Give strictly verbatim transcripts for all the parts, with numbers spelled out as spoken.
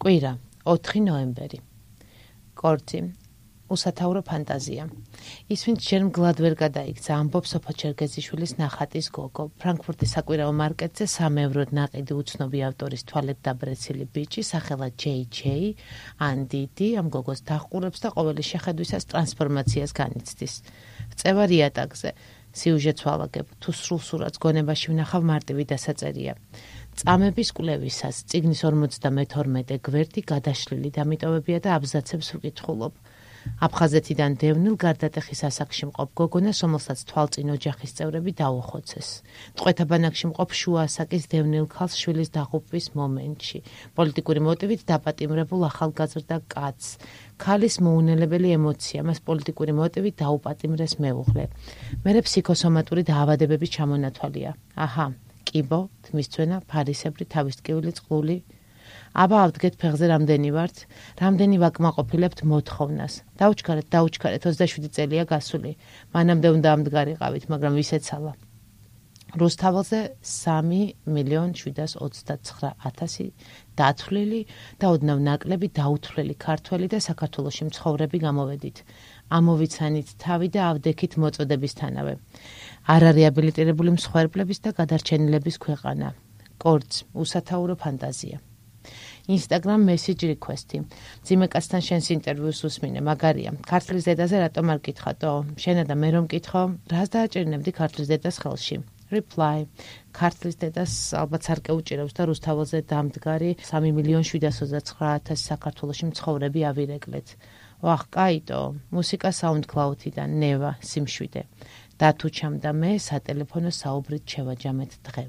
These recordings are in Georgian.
კვირა, ოთხი ნოემბერი. კორძი, უსათაურო ფანტაზია. ის, ვინც ჯერ მგლად ვერ გადაიქცა, ამბობს სოფო ჩერგეზიშვილის ნახატის გოგო. ფრანკფურტის საკვირაო მარკეტზე სამ ევროდ ნაყიდი უცნობი ავტორის თვალეთ დაბრეცილი ბიჭი, სახელად ჯეი ჯეი, ანდიდი, ამ გოგოს დახყურებს და ყოველი შეხედვისას ტრანსფორმაციას განიცდის. წევა რიატაგზე, სიუჟეტს ვალაგებ, თუ სრულ სურათს გონებაში ვნახავ მარტივი დასაწერია. წამების კვლევისას წიგნის ორმოცდამეთორმეტე გვერდი გადაშლილი დამიტოვებია და აბზაცებს ვკითხულობ. აფხაზეთიდან დევნილ გარდატეხის ასაკში მყოფ გოგონას, რომელსაც თვალწინ ოჯახის წევრები დაუხოცეს. ტყვეთა ბანაკში მყოფ შუა ასაკის დევნილ ქალს შვილის დაღუპვის მომენტში. პოლიტიკური მოტივით დაპატიმრებულ ახალგაზრდა კაცს. ქალის მოუნელებელი ემოცია, მას პოლიტიკური მოტივით დაუპატიმრეს მეუღლე. მერე ფსიქოსომატური დაავადებების ჩამონათვალია. აჰა, კიბო, თმისცვენა, ფარისებრი, თავისტკივილი, წყლული. აბა ავდგეთ ფეხზე რამდენი ვართ, რამდენი ვაკმაყოფილებთ მოთხოვნას. დაუჩქარეთ, დაუჩქარეთ, ოცდაშვიდი წელია გასული. მანამდე უნდა ამდგარიყავით, მაგრამ ვისეცალა. რუსთაველზე სამი მილიონი შვიდას ოცდაცხრა ათასი დათვლილი და ოდნავ ნაკლები დაუთვლელი ქართველი და საქართველოში მცხოვრები გამოვედით. ამოვიცანით თავი და ავდექით მოწოდებისთანავე. არარეაბილიტირებული მსხვერპლების და გადარჩენილების ქვეყანა. კორძ, უსათაურო ფანტაზია. Instagram message request-ი. ძიმე კაცთან შენს ინტერვიუს უსმინე, მაგარია. ქართლის დედაზე რატომ არ გითხატო? შენა და მე რომ გითხო, რას დააჭერნებდი ქართლის დედას ხელში? Reply. ქართლის დედას ალბათ სარკე უჭირავს და რუსთაველზე დამდგარი სამი მილიონი შვიდას ოცდაცხრა ათასი საქართველოში მცხოვრები ავირეკლეთ. ვახ, კაიტო, მუსიკა SoundCloud-იდან, ნევა, სიმშვიდე. დათუჩამ და მე სატელეფონო საუბრით შევაჯამეთ დღე.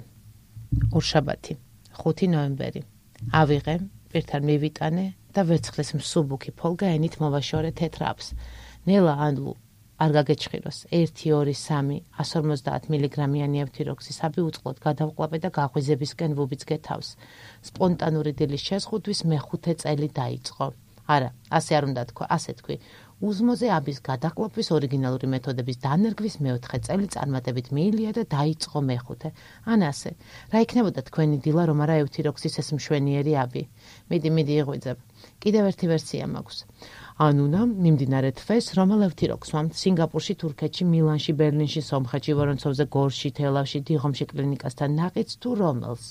ორშაბათი, ხუთი ნოემბერი. ავიღე, პირთან მივიტანე და ვერცხლის მსუბუქი ფოლგა ენით მოვაშორე თეთრ აპს. ნელა ანლუ, არ გაგეჩხიროს, ერთი, ორი, სამი, εκατს ორმოცდაათ მილიგრამიანი ევთიროქსისაბი უწყლოდ გადავყლაპე და გაღვიზებისკენ ვუბიძგე თავს. სპონტანური დილის შეზღუდვის მეხუთე წელი დაიწყო. არა, ასე არ უნდა თქვა, ასე თქვი. უზმოზე აბის გადაყლაპვის ორიგინალური მეთოდების დანერგვის მეოთხე წელი წარმატებით მიილია და დაიწყო მეხუთე. ან ასე. რა იქნებოდა თქვენი დილა, რომ არა ევთიროქსის ეს მშვენიერი აბი? მიდი, მიდი იღვიძებ. კიდევ ერთი ვერსია მაქვს. ანუნა, მიმდინარე თვეს, რომელ ევთიროქს ვამთ სინგაპურში, თურქეთში, მილანში, ბერლინში, სომხეთში, ვორონცოვზე, გორში, თელავში, დიღომში კლინიკასთან ნაყიდს თუ რომელს?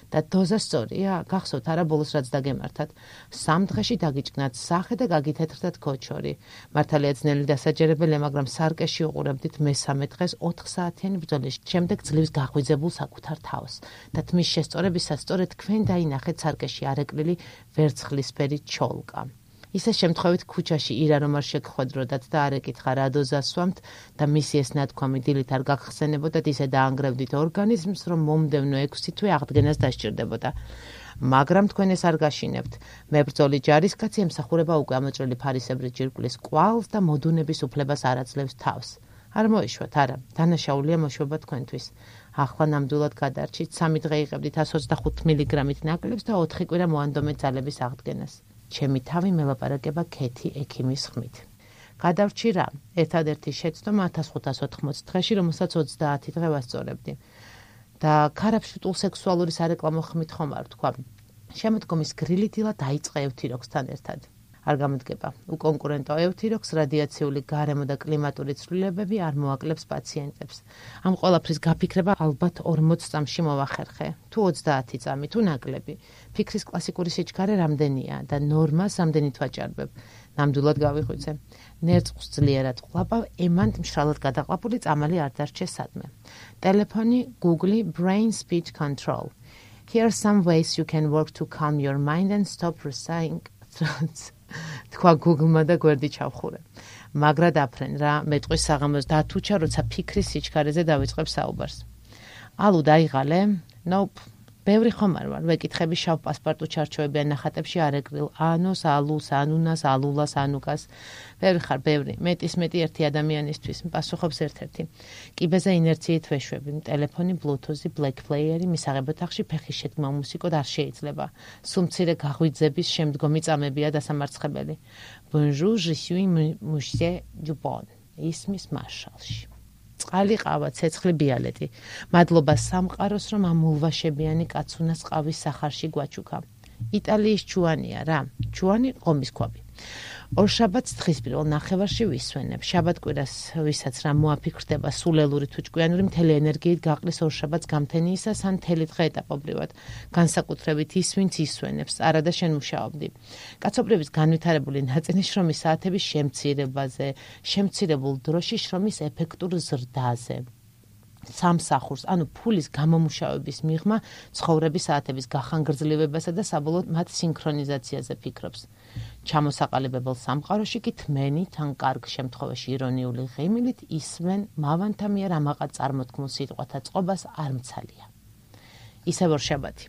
და დოზა სწორია, გახსოვთ არა ბოლოს რაც დაგემართათ. სამ დღეში დაგიჭკნათ სახე და გაგითეთრდათ ქოჩორი. მართალია ძნელი დასაჯერებელია, მაგრამ სარკეში უყურებდით მესამე დღეს ოთხ საათიანი ბრძოლის შემდეგ ძლივს გაღვიძებულ საკუთარ თავს. და თმის შესწორებისას სწორედ თქვენ დაინახეთ სარკეში არეკლილი ვერცხლისფერი ჩოლკა. ისე შემთხვევით ქუჩაში ირა რომ არ შეგხვედროდათ და არ ეკითხა რა დოზას ვამთ და მისი ეს ნათქვამი დილით არ გაგხსენებოდათ, ისე დაანგრევდით ორგანიზმს, რომ მომდევნო ექვსი თვე აღდგენას დასჭირდებოდა. მაგრამ თქვენ ეს არ გაშინებთ. მებრძოლი ჯარისკაცი ემსახურება უკვე ამოჭრილი ფარისებრი ჯირკვლის კვალს და მოდუნების უფლებას არ აძლევს თავს. არ მოიშვათ, არა, დანაშაულია მოშვება თქვენთვის. ახლა ნამდვილად გადარჩით, სამი დღე იღებდით εκατს ოცდახუთ მილიგრამით ნაკლებს და ოთხი კვირა მოანდომეთ ძალების აღდგენას. ჩემი თავი მელაპარაკება ქეთი ექიმის ხმით. გადავრჩი რა, ერთადერთი შეცდომა ათას ხუთას ოთხმოცი დღეში, რომელსაც ოცდაათი დღე ვასწორებდი. და ქარაფშტულ სექსუალური სარეკლამო ხმით ხომ არ ვთქვა. შემოდგომის გრილი დილა დაიწყე ევთიროქსთან ერთად. არ გამოდგება, უკონკურენტო ევთიროქს რადიაციული გარემო და კლიმატური ცვლილებები არ მოაკლებს პაციენტებს. ამ ყველაფრის გაფიქრება ალბათ ორმოც წამში მოვახერხე, თუ ოცდაათი წამი, თუ ნაკლები. ფიქრის კლასიკური სიჩქარე რამდენია და ნორმას რამდენით ვაჭარბებ. ნამდვილად გავიღვიძე. ნერწყვს ძლიერად ყლაპავ, ემანთ მშრალად გადაყლაპული წამალი არ დარჩე სადმე. ტელეფონი, Google, Brain Speech Control. Here are some ways you can work to calm your mind and stop reciting thoughts. თქვა Google-მა და გვერდი ჩავხურე. მაგრად აფრენ რა, მეტყვის საღამოს დათუჩა, როცა ფიქრის სიჩქარეზე დავიწყებ საუბარს. ალუ დაიღალე? Nope. ბევრი ხომ არ ვარ, ვეკითხები შავ პასპორტუ ჩარჩოებიან ნახატებში არეკრილ ანოს, ალუს, ანუნას, ალულას, ანუკას. ბევრი ხარ, ბევრი. მეტის მეტი ერთი ადამიანისთვის, პასუხობს ერთ-ერთი. კიბეზე ინერციით ვეშვები, ტელეფონი, ბლუთუზი, ბლეკ პლეიერი, მისაღებ ოთახში ფეხის შეთქმა მუსიკოდ არ შეიძლება. სულ მცირე გაღვიძების შემდგომი წამებია დასამარცხებელი. Bonjour, je suis monsieur Dupont. ისმის მარშალში. წყალი ყავა, ცეცხლი ბიალეტი. მადლობა სამყაროს, რომ ამ ულვაშებიანი კაცუნას ყავის სახარში გვაჩუქა. იტალიის ჩუანია რა, ჩუანი ღომის ქვაბი. ორშაბათს დღის პირველ ნახევარში ვისვენებ. შაბათ-კვირას ვისაც რა მოაფიქრდება სულელური თუ ჭკვიანური მთელი ენერგიით გაყრის ორშაბათს გამთენიისას ან მთელი დღე ეტაპობრივად. განსაკუთრებით ის, ვინც ისვენებს, არადა შენ მუშაობდი. კაცობრიობის განვითარებული ნაწილი შრომის საათების შემცირებაზე, შემცირებულ დროში შრომის ეფექტურ ზრდაზე. სამსახურს, ანუ ფულის გამომუშავების მიღმა, ცხოვრების საათების გახანგრძლივებასა და საბოლოოდ მათ სინქრონიზაციაზე ფიქრობს. ჩამოსაყალიბებელ სამყაროში კი თმენით ან კარგ შემთხვევაში ირონიული ღიმილით ისმენ მავანთა მიერ ამაყად წარმოთქმულ სიტყვათა წყობას არ მცალია. ისევ ორშაბათი.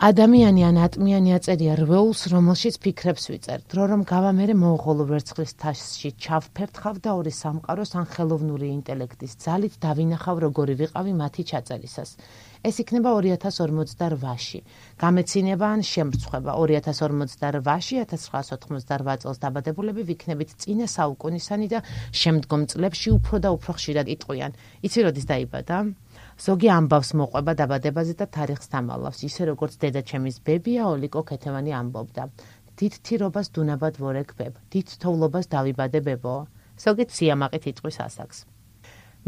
ადამიანი ან ატმიანი აწერია რვეულს, რომელშიც ფიქრებს ვიწერ. დრო რომ გავა მერე მონღოლურ ვერცხლის თასში ჩავფერთხავ და ორი სამყაროს ან ხელოვნური ინტელექტის ძალით დავინახავ როგორი ვიყავი მათი ჩაწერისას. ეს იქნება ორი ათას ორმოცდარვაში. გამეცინება ან შემრცხვება ორი ათას ორმოცდარვაში ათას ცხრაასი ოთხმოცდარვა წელს დაბადებულები ვიქნებით წინა საუკუნისანი და შემდგომ წლებში უფრო და უფრო ხშირად იტყვიან. იცი როდის დაიბადა? ზოგი ამბავს მოყვება დაბადებაზე და თარიღს დამალავს, ისე როგორც დედაჩემის ბებია ოლიკო ქეთევანი ამბობდა. დიდ თირობას დუნაბად ვორექბებ, დიდ თოვლობას დავიბადე ბებო. ზოგი სიამაყით იტყვის ასაკს.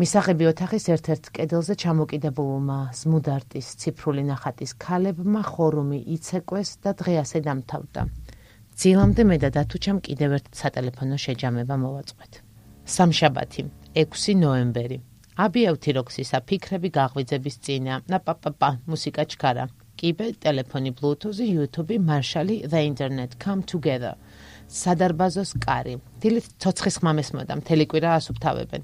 მისაღები ოთახის ერთ-ერთ კედელზე ჩამოკიდებულმა ზმუდარტის ციფრული ნახატის ქალებმა ხორუმი იცეკვეს და დღე ასე დამთავრდა. ძილამდე მე და დათუჩამ კიდევ ერთ სატელეფონო შეჯამება მოვაწყვეთ. სამშაბათი, ექვსი ნოემბერი. აბიავთი როქსისა ფიქრები გაღვიძების წინა. ნაპაპაპა, მუსიკა ჩქარა. კიბე, ტელეფონი, ბლუთუზი, YouTube, მარშალი, The Internet, Come Together. სადარბაზოს კარი. დილით ცოცხის ხმამეს მოდა, მთელი კვირა ასუფთავებენ.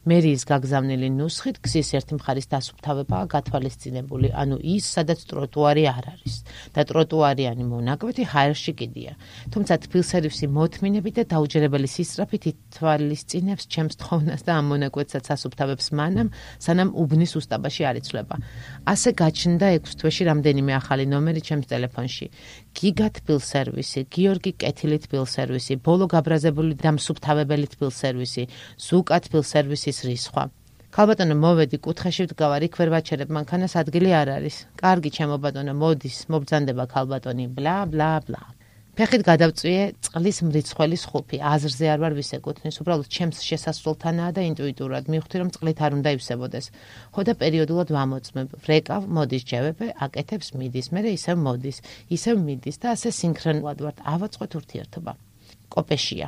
მერიის გაგზავნილი ნუსხით გზის ერთი მხარის დასუფთავებაა გათვალისწინებული, ანუ ის, სადაც ტროტუარი არ არის. და ტროტუარიანი მონაკვეთი ჰაერში კიდია. თუმცა თბილსერვისი მოთმინებით და დაუჯერებელი სისწრაფით ითვალისწინებს ჩემს თხოვნას და ამ მონაკვეთსაც ასუფთავებს მანამ, სანამ უბნის უსტაბაში არ იცვლება. ასე გაჩნდა ექვს თვეში რამდენიმე ახალი ნომერი ჩემს ტელეფონში. გიგა თბილსერვისი, გიორგი კეთილი თბილსერვისი, ბოლო გაბრაზებული დამსუფთავებელი თბილსერვისი, ზუკა თბილსერვისის რისხვა. ქალბატონო მოვედი კუთხეში ვდგავარ, იქ ვერ ვაჩერებ, მანქანას ადგილი არ არის. კარგი ჩემო ბატონო, მოდის, მობრძანდება ქალბატონი, ბლა ბლა ბლა. ფეხით გადავწვიე წყლის მრიცხველის ხუფი, აზრზე არ ვარ ვისეკუთვნის, უბრალოდ ჩემს შესასრულთანაა და ინტუიტურად მივხვდი, რომ წყლით არ უნდა ივსებოდეს. ხო და პერიოდულად ვამოწმებ, ვრეკავ, მოდის ჯევებე, აკეთებს მიდის, მერე ისევ მოდის, ისევ მიდის და ასე სინქრონულად ვართ, ავაწყოთ ურთიერთობა. კოპეშია.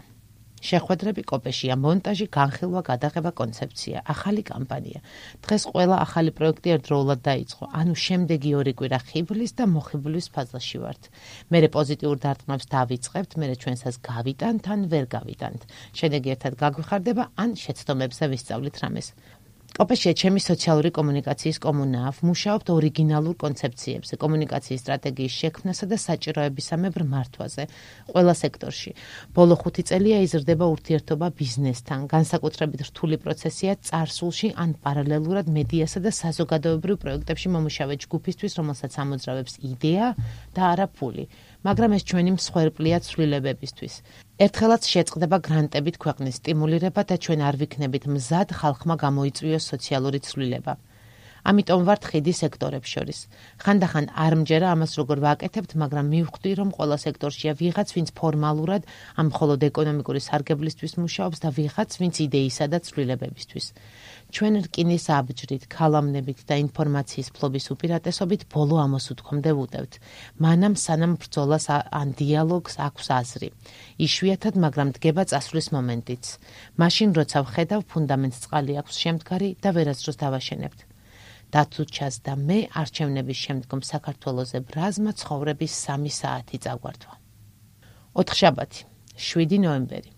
შეხვედრები კოპეშია, მონტაჟი, განხილვა, გადაღება, კონცეფცია, ახალი კამპანია. დღეს ყველა ახალი პროექტი ერთდროულად დაიწყო, ანუ შემდეგი ორი კვირა ხიბლის და მოხიბლის ფაზაში ვართ. მერე პოზიტიურ დარტყმებს დავიწყებთ, მერე ჩვენსას გავიტანთ ან ვერ გავიტანთ. შედეგი ერთად გაგვიხარდება ან შეცდომებზე ვისწავლით რამეს. კოპეშია ჩემი სოციალური კომუნიკაციის კომუნაა, ვმუშაობთ ორიგინალურ კონცეფციებზე, კომუნიკაციის სტრატეგიის შექმნასა და საჭიროებისამებრ მართვაზე, ყველა სექტორში. ბოლო ხუთი წელია იზრდება ურთიერთობა ბიზნესთან, განსაკუთრებით რთული პროცესია წარსულში ან პარალელურად მედიასა და საზოგადოებრივ პროექტებში მომუშავე ჯგუფისთვის, რომელსაც ამოძრავებს იდეა და არა ფული. მაგრამ ეს ჩვენი მსხვერპლია ცვლილებებისთვის. ერთხელაც შეწყდება გრანტებით ქვეყნის სტიმულირება და ჩვენ არ ვიქნებით მზად ხალხმა გამოიწვიოს სოციალური ცვლილება. ამიტომ ვართ ხიდი სექტორებს შორის. ხანდახან არ მჯერა ამას როგორ ვაკეთებთ, მაგრამ მივხვდი, რომ ყველა სექტორშია ვიღაც, ვინც ფორმალურად ამ მხოლოდ ეკონომიკური სარგებლისთვის მუშაობს და ვიღაც, ვინც იდეისა და ცვლილებებისთვის. ჩვენ რკინის აბჯრით, ქალამნებით და ინფორმაციის ფლობის უპირატესობით ბოლო ამოსუთქვამდე ვუტევთ. მანამ სანამ ბრძოლას ან დიალოგს აქვს აზრი. იშვიათად, მაგრამ დგება წასვლის მომენტიც. მაშინ როცა ვხედავ ფუნდამენტს წყალი აქვს შემდგარი და ვერასდროს დავაშენებთ. დათუჩას და მე არჩევნების შემდგომ საქართველოზე ბრაზმა ცხოვრების სამი საათი წაგვართვა. ოთხშაბათი, შვიდი ნოემბერი.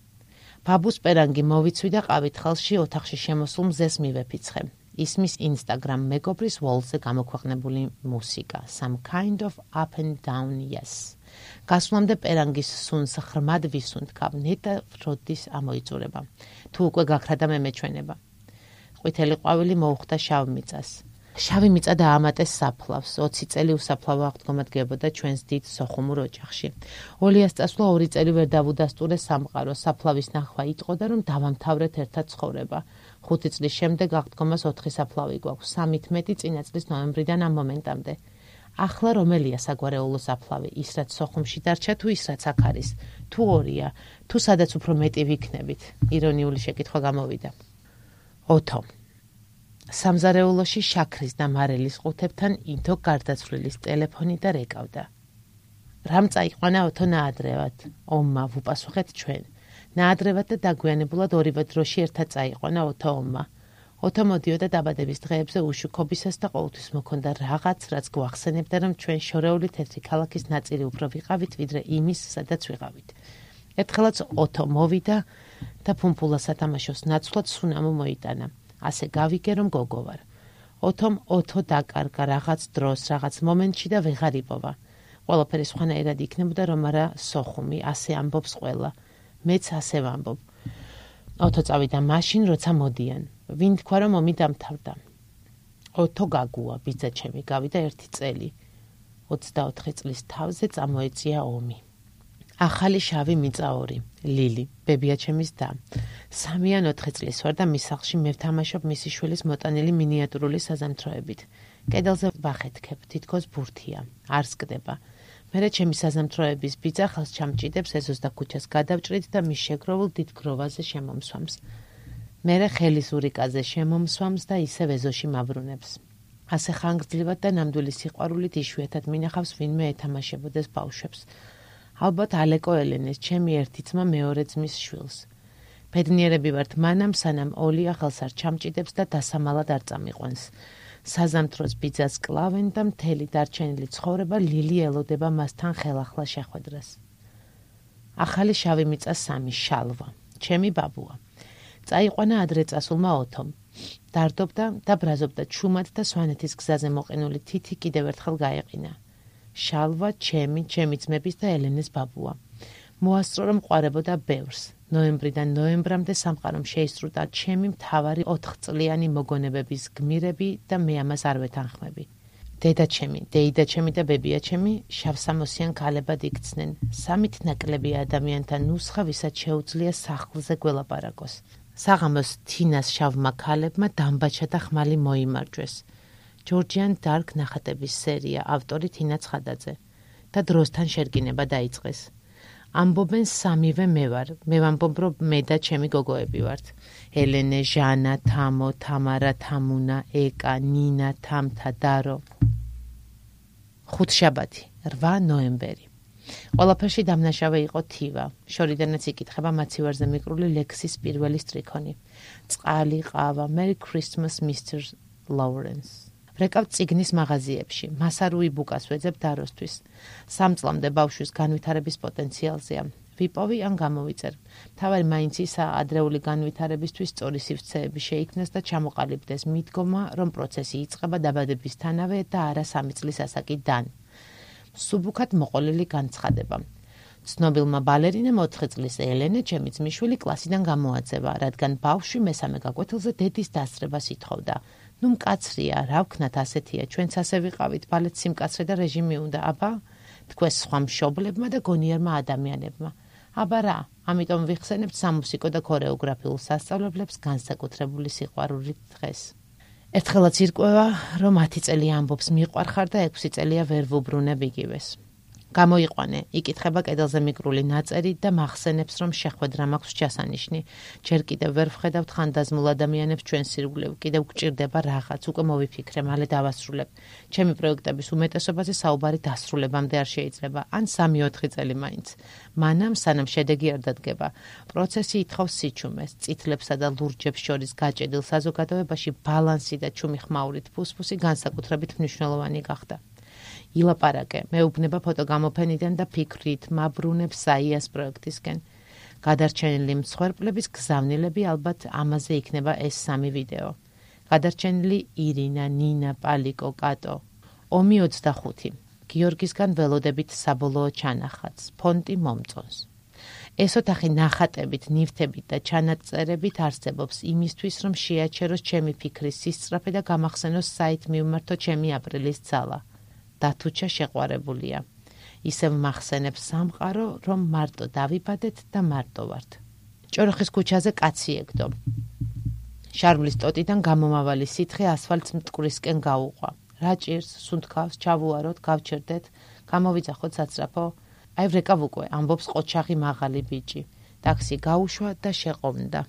ბაბუს პერანგი მოვიცვი და ყავით ხელში ოთახში შემოსულ მზეს მივეფიცხე. ისმის Instagram მეგობრის wall-ზე გამოქვეყნებული მუსიკა, some kind of up and down yes. გასვლამდე პერანგის სუნს ხრმად ვისუნთქავ, ნეტა ფროდის ამოიწურება. თუ უკვე გაქრა და მე მეჩვენება. ყვითელი ყვავილი მოუხდა შავ მიწას. შავი მიწა დაამატეს საფლავს, ოცი წელი უსაფლავო აღდგომადგებოდა ჩვენს დიდ სოხუმურ ოჯახში. ოლიას წასვლა ორი წელი ვერ დავუდასტურე სამყარო, საფლავის ნახვა იტყოდა, რომ დავამთავრეთ ერთად ცხოვრება. ხუთი წლის შემდეგ აღდგომას ოთხი საფლავი გვაქვს, სამით მეტი წინა წლის ნოემბრიდან ამ მომენტამდე. ახლა რომელია საგვარეულო საფლავი, ის რაც სოხუმში დარჩა თუ ის რაც აქ არის, თუ ორია, თუ სადაც უფრო მეტი ვიქნებით, ირონიული შეკითხვა გამოვიდა. ოთო. სამზარეულოში შაქრის და მარილის ყუთებთან ინთო გარდაცვლილის ტელეფონი და რეკავდა. რამ წაიყვანა ოთო ნაადრევად? ომმა ვუპასუხეთ ჩვენ. ნაადრევად და დაგვიანებულად ორივე დროში ერთად წაიყვანა ოთო ომმა. ოთო მოდიოდა დაბადების დღეებზე უშუქობისას და ყოველთვის მოქონდა რაღაც, რაც გვახსენებდა, რომ ჩვენ შორეული თეთრი ქალაქის ნაწილი უფრო ვიყავით, ვიდრე იმის, სადაც ვიყავით. ერთხელაც ოთო მოვიდა და ფუმფულა სათამაშოს ნაცვლად სუნამო მოიტანა. ასე გავიგე, რომ გოგო ვარ. ოთომ ოთო დაკარგა რაღაც დროს, რაღაც მომენტში და ვეღარ იპოვა. ყველაფერი სხვანაირად იქნებოდა, რომ არა სოხუმი, ასე ამბობს ყველა. მეც ასე ვამბობ. ოთო წავიდა მაშინ, როცა მოდიან. ვინ თქვა, რომ ომი დამთავრდა. ოთო გაგუა, ბიძა ჩემი, გავიდა ერთი წელი. ოცდაოთხი წლის თავზე წამოეწია ომი. ახალი შავი მიწა ორი, ლილი, ბებია ჩემის და. სამი ან ოთხი წლის ვარ და მის სახლში მე ვთამაშობ მისი შვილის მოტანილი მინიატურული საზამთროებით. კედელზე ვახეთქებ, თითქოს ბურთია, არ სკდება. მერე ჩემი საზამთროების ბიძა ხელს ჩამჭიდებს ეზოს და ქუჩას გადავჭრით და მის შეგროვილ დიდ გროვაზე შემომსვამს. მერე ხელის ურიკაზე შემომსვამს და ისევ ეზოში მაბრუნებს. ასე ხანგრძლივად და ნამდვილი სიყვარულით იშვიათად მინახავს ვინმე ეთამაშებოდეს ბავშვებს. ალბათ ალეკო ელენეს, ჩემი ერთი ძმა მეორე ძმის შვილს. ბედნიერები ვართ მანამ, სანამ ოლია ხელს არ ჩამჭიდებს და დასამალად არ წამიყვანს. საზამთროს ბიძას კლავენ და მთელი დარჩენილი ცხოვრება ლილი ელოდება მასთან ხელახლა შეხვედრას. ახალი შავი მიწა სამი, შალვა, ჩემი ბაბუა. წაიყვანა ადრე წასულმა ოთომ. დარდობდა და ბრაზობდა ჩუმად და სვანეთის გზაზე მოყინული თითი კიდევ ერთხელ გაეყინა. შალვა, ჩემი, ჩემი ძმების და ელენეს ბაბუა. მოასწრო რომ ყვარებოდა ბევრს. ნოემბრიდან ნოემბრამდე სამყარომ შეისწრუდა ჩემი მთავარი ოთხწლიანი მოგონებების გმირები და მე ამას არ ვეთანხმები. დედა ჩემი, დეიდა ჩემი და ბებია ჩემი შავსამოსიან ქალებად იქცნენ. სამით ნაკლები ადამიანთა ნუსხა, ვისაც შეუძლია სახლზე გველაპარაკოს. საღამოს თინას შავმა ქალებმა დამბაჩა და ხმალი მოიმარჯვეს. ჯორჯიან დარკ ნახატების სერია, ავტორი თინა ცხადაძე და დროსთან შერგინება დაიწყეს. ამბობენ სამივე მე ვარ. მე ვამბობ, რომ მე და ჩემი გოგოები ვართ. ელენე, ჟანა, თამო, თამარა, თამუნა, ეკა, ნინა, თამთა, დარო. ხუთშაბათი, რვა ნოემბერი. ყველაფერში დამნაშავე იყო თივა. შორიდანაც იკითხება მაცივარზე მიკრული ლექსის პირველი სტრიქონი. წყალი, ყავა, Merry Christmas, Mister Lawrence. რეკავ ციგნის მაღაზიებში, მასარუი ბუკას ვეძებ დაროსთვის. სამწლამდე ბავშვის განვითარების პოტენციალზეა. ვიპოვი ან გამოვიწერ. მთავარი მაინც ისაა ადრეული განვითარებისთვის სწორი სივრცეები შეიქმნას და ჩამოყალიბდეს მიდგომა, რომ პროცესი იწყება დაბადებისთანავე და არა სამი წლის ასაკიდან. სუბუქად მოყოლილი განცხადება. ცნობილმა ბალერინამ ოთხი წლის ელენე, ჩემი ძმისშვილი, კლასიდან გამოაძევა, რადგან ბავშვი მესამე გაკვეთილზე დედის დასწრებას ითხოვდა. ნუ მკაცრია, რა ვქნათ ასეთია, ჩვენც ასე ვიყავით, ბალეტ სიმკაცრე და რეჟიმი უნდა, აბა, თქვენ სხვა მშობლებმა და გონიერმა ადამიანებმა. აბა რა, ამიტომ ვიხსენებთ სამუსიკო და ქორეოგრაფიულ სასწავლებლებს განსაკუთრებული სიყვარულით დღეს. ერთხელაც ირკვევა, რომ ათი წელი ამბობს მიყვარხარ და ექვსი წელია ვერ ვუბრუნებ იგივეს. გამოიყვანე, იკითხება კედელზე მიკრული ნაწერი და მახსენებს, რომ შეხვედრა მაქვს ჩასანიშნი. ჯერ კიდევ ვერ ვხედავთ ხანდაზმულ ადამიანებს ჩვენ სირგვლივ, კიდევ გვჭირდება რაღაც, უკვე მოვიფიქრე, მალე დავასრულებ. ჩემი პროექტების უმეტესობაზე საუბარი დასრულებამდე არ შეიძლება, ან სამი ოთხი წელი მაინც. მანამ, სანამ შედეგი არ დადგება, პროცესი ითხოვს სიჩუმეს, წითლებსა და ლურჯებს შორის გაჭედილ საზოგადოებაში ბალანსი და ჩუმი ხმაურით ფუსფუსი განსაკუთრებით მნიშვნელოვანი გახდა. ილაპარაკე, მეუბნება ფოტოგამოფენიდან და ფიქრით მაბრუნებს საიას პროექტისკენ. გადარჩენილი მსხვერპლების გზავნილები ალბათ ამაზე იქნება ეს სამი ვიდეო. გადარჩენილი ირინა, ნინა, პალიკო, კატო. ომი ოცდახუთი. გიორგისგან ველოდებით საბოლოო ჩანახატს. ფონტი მომწონს. ეს ოთახი ნახატებით, ნივთებით და ჩანაწერებით არსებობს იმისთვის, რომ შეაჩეროს ჩემი ფიქრის სისწრაფე და გამახსენოს საით მივმართო ჩემი აპრილის ძალა. დათუჩა შეყვარებულია. ისევ მახსენებს სამყარო, რომ მარტო დავიბადეთ და მარტო ვართ. ჭოროხის ქუჩაზე კაცი ეგდო. შარვლის ტოტიდან გამომავალი სითხე ასფალტს მტკვრისკენ გაუყვა. რა ჭირს, სუნთქავს, ჩავუაროთ, გავჩერდეთ, გამოვიძახოთ საცრაფო. აი ვრეკავ უკვე, ამბობს ყოჩაღი მაღალი ბიჭი. ტაქსი გაუშვა და შეყოვნდა.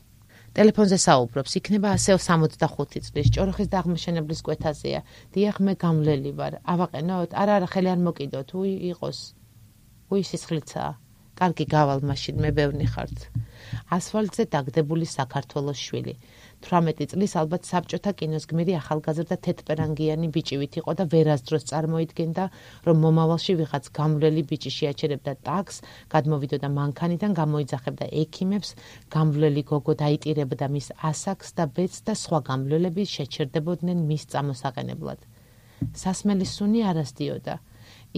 ტელეფონზე საუბრობს, იქნება ასეო სამოცდახუთი წლის, ჭოროხის დაღმაშენებლის კვეთაზეა. დიახ, მე გამლელი ვარ. ავაყენოთ? არა, არა, ხელი არ მოკიდოთ, უი იყოს. უი სისხლიცაა. კარგი გავალ მაშინ, მე ბევრი ხართ. ასფალტზე დაგდებული საქართველოს შვილი. თვრამეტი წლის ალბათ საბჭოთა კინოს გმირი ახალგაზრდა თეთრპერანგიანი ბიჭივით იყო და ვერასდროს წარმოიდგენდა, რომ მომავალში ვიღაც გამვლელი ბიჭი შეაჩერებდა ტაქს, გადმოვიდოდა მანქანიდან, გამოიძახებდა ექიმებს, გამვლელი გოგო დაიტირებდა მის ასაკს და ბედს და სხვა გამვლელები შეჩერდებოდნენ მის წამოსაყენებლად. სასმელი სუნი არასდიოდა.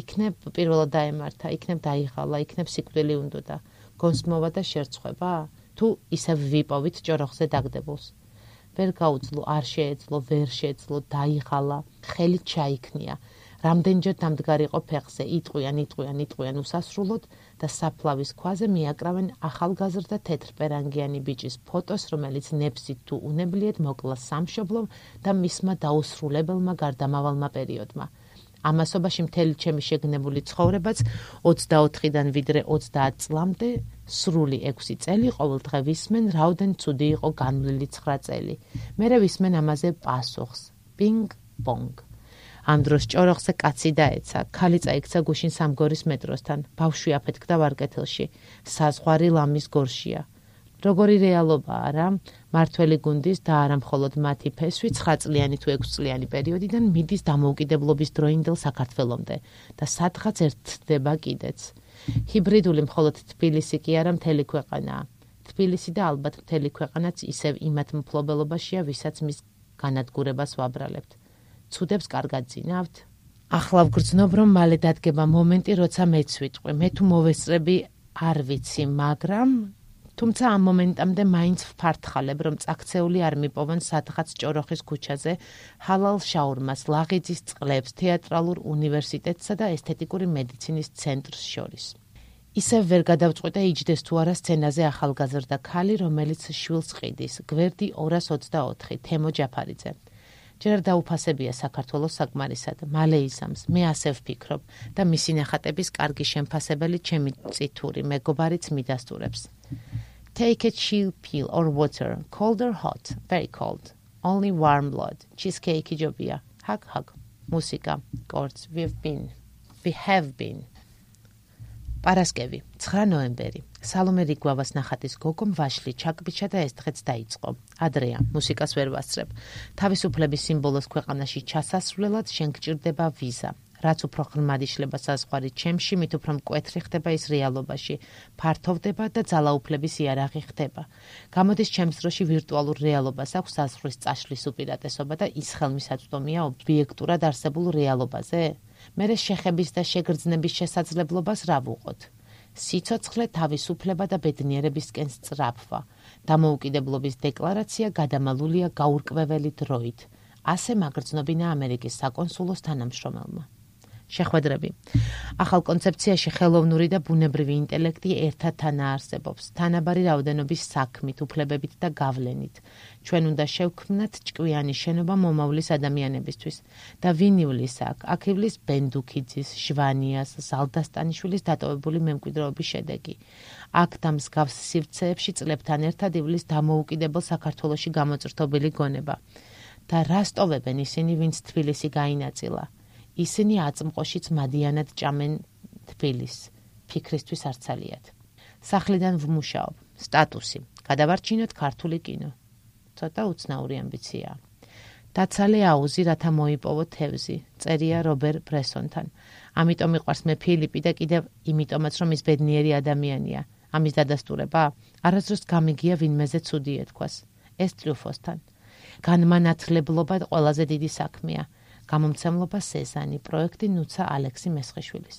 იქნებ პირველად დაემართა, იქნებ დაიღალა, იქნებ სიკვდილი უნდოდა. გონსმოვა და შერცხვება? თუ ისევ ვიპოვით ჭოროხზე დაგდებულს. ვერ გაუძლო, არ შეეძლო, ვერ შეეძლო, დაიღალა, ხელი ჩაიქნია. რამდენჯერ დამდგარიყო ფეხზე, იტყვიან, იტყვიან, იტყვიან უსასრულოდ და საფლავის ქვაზე მიაკრავენ ახალგაზრდა თეთრპერანგიანი ბიჭის ფოტოს, რომელიც ნებსით თუ უნებლიეთ მოკლა სამშობლომ და მისმა დაუსრულებელმა გარდამავალმა პერიოდმა. ამასობაში მთელი ჩემი შეგნებული ცხოვრებაც ოცდაოთხიდან ვიდრე ოცდაათ წლამდე სრული ექვსი წელი ყოველდღე ვისმენ, რაოდენ ცუდი იყო განვლილი ცხრა წელი. მერე ვისმენ ამაზე პასუხს. პინგ პონგ. ამ დროს ჭოროხზე კაცი დაეცა, ქალი წაიქცა გუშინ სამგორის მეტროსთან, ბავშვი აფეთქდა ვარკეთილში, საზღვარი ლამის გორშია. როგორი რეალობაა რა, მართველი გუნდის და არა მხოლოდ მათი ფესვი ცხრაწლიანი თუ ექვსწლიანი პერიოდიდან მიდის დამოუკიდებლობის დროინდელ საქართველომდე და სადღაც ერთდება კიდეც. ჰიბრიდული მხოლოდ თბილისი კი არა, მთელი ქვეყანაა. თბილისი და ალბათ მთელი ქვეყანაც ისევ იმათ მფლობელობაშია, ვისაც მის განადგურებას ვაბრალებთ. ცუდებს კარგად ძინავთ. ახლა ვგრძნობ, რომ მალე დადგება მომენტი, როცა მეც ვიტყვი. მე თუ მოვესწრები, არ ვიცი, მაგრამ თუმცა ამ მომენტამდე მაინც ვფართხალებ, რომ წაქცეული არ მიპოვონ სადღაც ჭოროხის ქუჩაზე, ჰალალ შაურმას, ლაღიძის წყლებს, თეატრალურ უნივერსიტეტსა და ესთეტიკური მედიცინის ცენტრს შორის. ისევ ვერ გადავწყვიტე იჯდეს თუ არა სცენაზე ახალგაზრდა ქალი, რომელიც შვილს ყიდის, გვერდი ორას ოცდაოთხი, თემო ჯაფარიძე. ჯერ დაუფასებია საქართველოს საკმარისად, მალე იზამს, მე ასე ვფიქრობ და მისი ნახატების კარგი შემფასებელი ჩემი წითური მეგობარიც მიდასტურებს. Take a chill pill or water, cold or hot, very cold, only warm blood, cheesecake ijobia, hug hug, მუსიკა, კორც, we've been, we have been. პარასკევი, ცხრა ნოემბერი. სალომე რიგვავას ნახატის გოგომ ვაშლი ჩაკბიჩა და ეს დღეც დაიწყო. ადრეა, მუსიკას ვერ ვასწრებ. თავისუფლების სიმბოლოს ქვეყანაში ჩასასვლელად შენ გჭირდება ვიზა. რაც უფრო ღრმად იშლება საზღვარი ჩემში, მით უფრო მკვეთრი ხდება ის რეალობაში, ფართოვდება და ძალაუფლების იარაღი ხდება. გამოდის ჩემს დროში ვირტუალურ რეალობას აქვს საზღვრის წაშლის უპირატესობა და ის ხელმისაწვდომია ობიექტურად არსებულ რეალობაზე? მერე შეხების და შეგრძნების შესაძლებლობას რა ვუყოთ? სიცოცხლე, თავისუფლება და ბედნიერებისკენ სწრაფვა. დამოუკიდებლობის დეკლარაცია გადამალულია გაურკვეველი დროით. ასე მაგრძნობინა ამერიკის საკონსულოს თანამშრომელმა. შეხვედრები. ახალ კონცეფციაში ხელოვნური და ბუნებრივი ინტელექტი ერთად თანაარსებობს, თანაბარი რაოდენობის საქმით, უფლებებით და გავლენით. ჩვენ უნდა შევქმნათ ჭკვიანი შენობა მომავლის ადამიანებისთვის. და ვინ ივლის აქ? აქ ივლის ბენდუქიძის, ჟვანიას, ზალდასტანიშვილის დატოვებული მემკვიდრეობის შედეგი. აქ და მსგავს სივრცეებში წლებთან ერთად ივლის დამოუკიდებელ საქართველოში გამოწრთობილი გონება. და რას ტოვებენ ისინი, ვინც თბილისი გაინაწილა? ისინი აწმყოშიც მადიანად ჭამენ თბილისს, ფიქრისთვის არცალიათ. სახლიდან ვმუშაობ, სტატუსი, გადავარჩინოთ ქართული კინო. ცოტა უცნაური ამბიციაა. დაცალე აუზი, რათა მოიპოვო თევზი, წერია რობერ ბრესონთან. ამიტომ მიყვარს მე ფილიპი და კიდევ იმიტომაც, რომ ის ბედნიერი ადამიანია. ამის დადასტურება? არასდროს გამიგია ვინმეზე ცუდი ეთქვას. ეს ტრიუფოსთან. განმანათლებლობა ყველაზე დიდი საქმეა. გამომცემლობა სეზანი, პროექტი ნუცა ალექსი მესხიშვილის.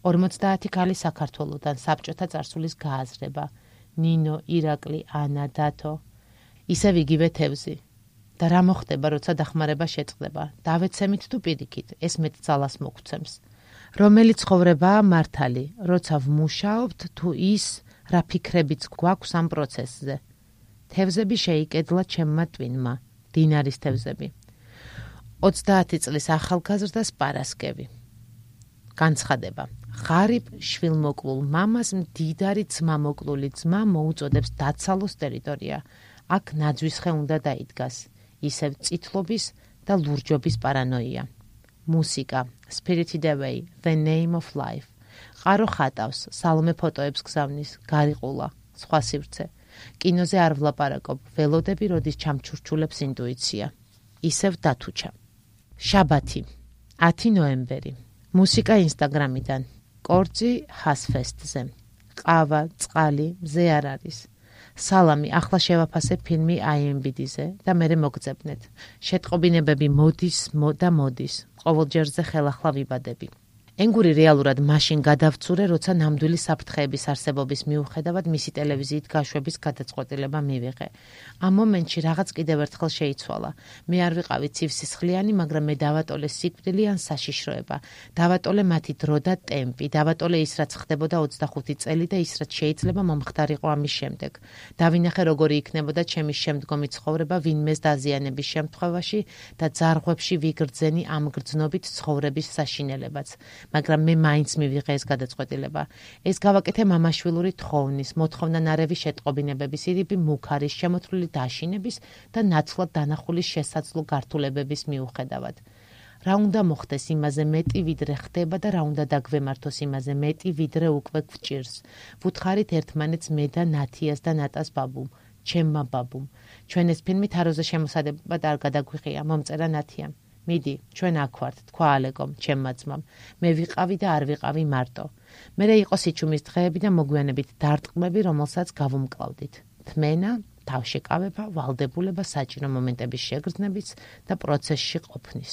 ორმოცდაათი ქალი საქართველოდან, საბჭოთა წარსულის გააზრება. ნინო, ირაკლი, ანა, დათო. ისევ იგივე თევზი. და რა მოხდება, როცა დახმარება შეწყდება? დავეცემით თუ პირიქით, ეს მეტ ძალას მოგცემს. რომელი ცხოვრებაა მართალი, როცა ვმუშაობთ თუ ის, რა ფიქრებიც გვაქვს ამ პროცესზე. თევზები შეიკედლა ჩემმა ტვინმა, დინარის თევზები. ოცდაათი წლის ახალგაზრდას პარასკევი. განცხადება. ღარიბ შვილმოკლულ მამას მდიდარი ძმამოკლული ძმა მოუწოდებს დაცალოს ტერიტორია. აქ ნაძვისხე უნდა დაიდგას. ისევ წითლობის და ლურჯობის პარანოია. მუსიკა. Spirited Away, The Name of Life. ყარო ხატავს, სალომე ფოტოებს გზავნის, გარიყულა, სხვა სივრცე. კინოზე არ ვლაპარაკობ, ველოდები როდის ჩამჩურჩულებს ინტუიცია. ისევ დათუჩა. შაბათი, ათი ნოემბერი. მუსიკა ინსტაგრამიდან. კორძი ჰასფესტზე. ყავა, წყალი, მზე არ არის. სალამი, ახლა შევაფასებ ფილმი აი ემ დი დი-ზე და მერე მოგძებნეთ. შეტყობინებები მოდის და მოდის. ყოველჯერზე ხელახლა ვიბადები. ენგური რეალურად მაშინ გადავცურე, როცა ნამდვილი საფრთხეების არსებობის მიუხედავად მისი ტელევიზიით გაშვების გადაწყვეტილება მივიღე. ამ მომენტში რაღაც კიდევ ერთხელ შეიცვალა. მე არ ვიყავი ცივსისხლიანი, მაგრამ მე დავატოლე სიკვდილი ან საშიშროება. დავატოლე მათი დრო და ტემპი, დავატოლე ის, რაც ხდებოდა ოცდახუთი წელი და ის, რაც შეიძლება მომხდარიყო ამის შემდეგ. დავინახე, როგორი იქნებოდა ჩემი შემდგომი ცხოვრება ვინმეს დაზიანების შემთხვევაში და ძარღვებში ვიგრძენი ამ გრძნობით ცხოვრების საშინელებაც. მაგრამ მე მაინც მივიღე ეს გადაწყვეტილება. ეს გავაკეთე მამაშვილური თხოვნის, მოთხოვნანარევი შეტყობინებების, ირიბი მუქარის, შემოთვლილი დაშინების და ნაცვლად დანახული შესაძლო გართულებების მიუხედავად. რა უნდა მოხდეს იმაზე მეტი, ვიდრე ხდება და რა უნდა დაგვემართოს იმაზე მეტი, ვიდრე უკვე გვჭირს. ვუთხარით ერთმანეთს მე და ნათიას და ნატას ბაბუმ, ჩემმა ბაბუმ. ჩვენ ეს ფილმი თაროზე შემოსადებად არ გადაგვიღია, მომწერა ნათიამ. მიდი, ჩვენ აქ ვართ, თქვა ალეკომ, ჩემმა ძმამ. მე ვიყავი და არ ვიყავი მარტო. მერე იყო სიჩუმის დღეები და მოგვიანებით დარტყმები, რომელსაც გავუმკლავდით. თმენა, თავშეკავება, ვალდებულება, საჭირო მომენტების შეგრძნებიც და პროცესში ყოფნის.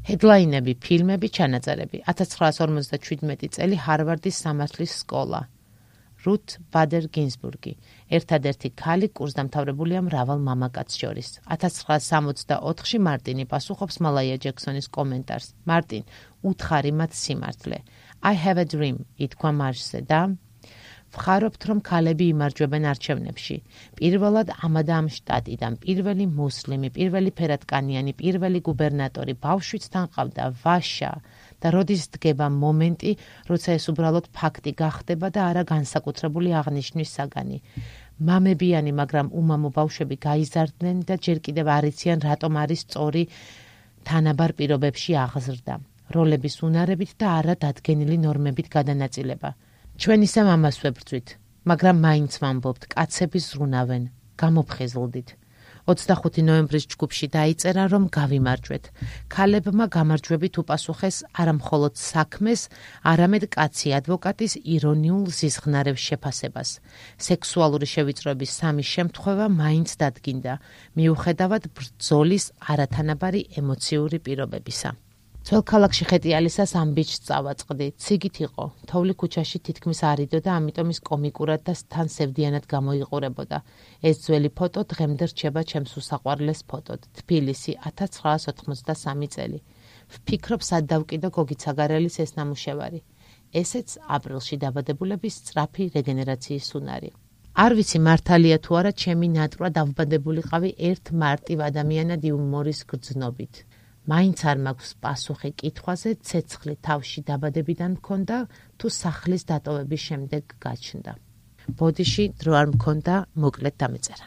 ჰედლაინები, ფილმები, ჩანაწერები. ათას ცხრაას ორმოცდაშვიდმეტი წელი ჰარვარდის სამართლის სკოლა. რუთ ბადერ გინზბურგი. ერთადერთი ქალი კურსდამთავრებულია მრავალ მამაკაცს შორის. ათას ცხრაას სამოცდაოთხში მარტინი პასუხობს მალაია ჯექსონის კომენტარს. მარტინ, უთხარი მათ სიმართლე. I have a dream, ითქვა მარშზე და ვხარობთ, რომ ქალები იმარჯვებენ არჩევნებში. პირველად ამადა ამ შტატიდან, პირველი მუსლიმი, პირველი ფერადკანიანი, პირველი გუბერნატორი, ბავშვიც თან ყავდა, ვაშა. და როდის დგება მომენტი, როცა ეს უბრალოდ ფაქტი გახდება და არა განსაკუთრებული აღნიშვნის საგანი. მამებიანი, მაგრამ უმამო ბავშვები გაიზარდნენ და ჯერ კიდევ არ იციან, რატომ არის სწორი თანაბარ პირობებში აღზრდა, როლების უნარებით და არა დადგენილი ნორმებით გადანაწილება. ჩვენ ისე ამას ვებრძვით, მაგრამ მაინც ვამბობთ, კაცები ზრუნავენ, გამოფხიზლდით. ოცდახუთი ნოემბრის ჯგუფში დაიწერა, რომ გავიმარჯვეთ. ქალებმა გამარჯვებით უპასუხეს არა მხოლოდ საქმეს, არამედ კაცი ადვოკატის ირონიულ ზიზღნარევ შეფასებას. სექსუალური შევიწროების სამი შემთხვევა მაინც დადგინდა, მიუხედავად ბრძოლის არათანაბარი ემოციური პირობებისა. ძველ ქალაქში ხეტიალისას ამ ბიჭს წავაწყდი. ციგით იყო, თოვლი ქუჩაში თითქმის არ იდო და ამიტომ ის კომიკურად და თან სევდიანად გამოიყურებოდა. ეს ძველი ფოტო დღემდე რჩება ჩემს უსაყვარლეს ფოტოდ. თბილისი, ათას ცხრაას ოთხმოცდასამი წელი. ვფიქრობ, სად დავკიდო გოგი ცაგარელის ეს ნამუშევარი. ესეც აპრილში დაბადებულების სწრაფი რეგენერაციის უნარი. არ ვიცი მართალია თუ არა, ჩემი ნატრვა დავბადებულიყავი ერთ მარტივ ადამიანად იუმორის გრძნობით. მაინც არ მაქვს პასუხი კითხვაზე, ცეცხლი თავში დაბადებიდან მქონდა თუ სახლის დატოვების შემდეგ გაჩნდა. ბოდიში დრო არ მქონდა, მოკლედ დამეწერა.